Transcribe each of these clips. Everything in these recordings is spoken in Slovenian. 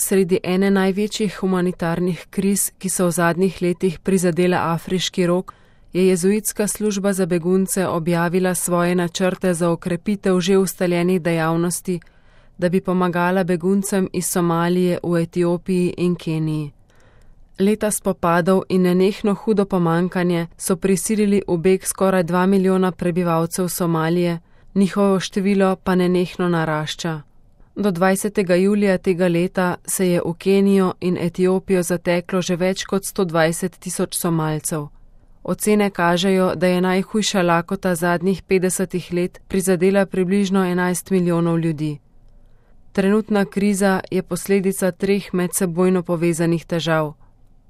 sredi ene največjih humanitarnih kriz, ki so v zadnjih letih prizadele Afriški rog, je jezuitska služba za begunce objavila svoje načrte za okrepitev že ustaljenih dejavnosti, da bi pomagala beguncem iz Somalije v Etiopiji in Keniji. Leta spopadov in nenehno hudo pomankanje so prisilili v beg skoraj 2 milijona prebivalcev Somalije, njihovo število pa nenehno narašča. Do 20. julija tega leta se je v Kenijo in Etiopijo zateklo že več kot 120 tisoč Somalcev. Ocene kažejo, da je najhujša lakota zadnjih 50 let prizadela približno 11 milijonov ljudi. Trenutna kriza je posledica 3 medsebojno povezanih težav.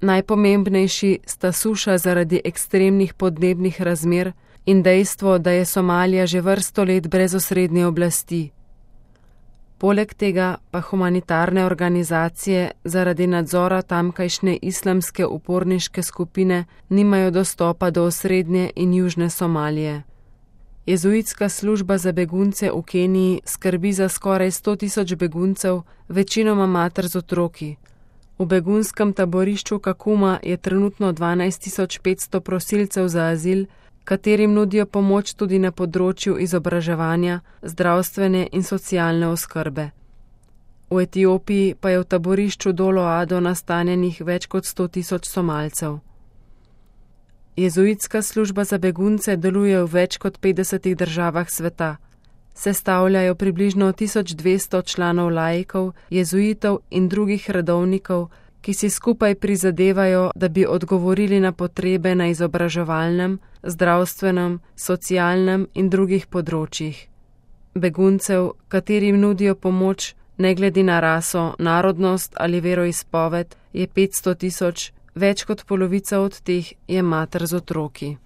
Najpomembnejši sta suša zaradi ekstremnih podnebnih razmer in dejstvo, da je Somalija že vrsto let brez osrednje oblasti. Poleg tega pa humanitarne organizacije zaradi nadzora tamkajšnje islamske uporniške skupine nimajo dostopa do osrednje in južne Somalije. Jezuitska služba za begunce v Keniji skrbi za skoraj 100 tisoč beguncev, večinoma mater z otroki. V begunskem taborišču Kakuma je trenutno 12.500 prosilcev za azil, katerim nudijo pomoč tudi na področju izobraževanja, zdravstvene in socialne oskrbe. V Etiopiji pa je v taborišču Dolo Ado nastanjenih več kot 100 tisoč Somalcev. Jezuitska služba za begunce deluje v več kot 50 državah sveta. Sestavljajo približno 1200 članov laikov, jezuitov in drugih redovnikov, ki si skupaj prizadevajo, da bi odgovorili na potrebe na izobraževalnem, zdravstvenem, socialnem in drugih področjih. Beguncev, katerim nudijo pomoč, ne glede na raso, narodnost ali veroizpoved, je 500 tisoč, več kot polovica od teh je mater z otroki.